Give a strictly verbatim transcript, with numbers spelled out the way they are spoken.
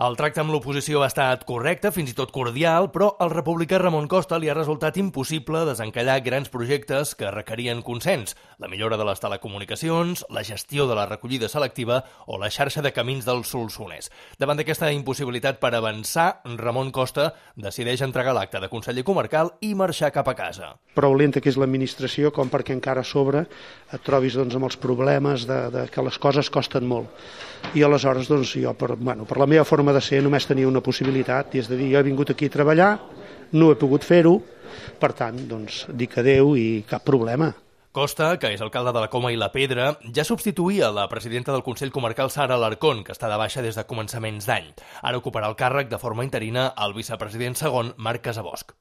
El tracte amb l'oposició ha estat correcte, fins i tot cordial, però al republicà Ramon Costa li ha resultat impossible desencallar grans projectes que requerien consens, la millora de les telecomunicacions, la gestió de la recollida selectiva o la xarxa de camins del Solsonès. Davant d'aquesta impossibilitat per avançar, Ramon Costa decideix entregar l'acte de conseller comarcal i marxar cap a casa. Prou lenta que és l'administració com perquè encara a sobre et trobis doncs, amb els problemes de, de que les coses costen molt. I aleshores doncs, jo, per, bueno, per la meva forma de ser, només tenia una possibilitat, i és de dir, jo he vingut aquí a treballar, no he pogut fer-ho, per tant, doncs, dic adeu i cap problema. Costa, que és alcalde de la Coma i la Pedra, ja substituïa la presidenta del Consell Comarcal, Sara Alarcón, que està de baixa des de començaments d'any. Ara ocuparà el càrrec de forma interina el vicepresident segon, Marc Casabosc.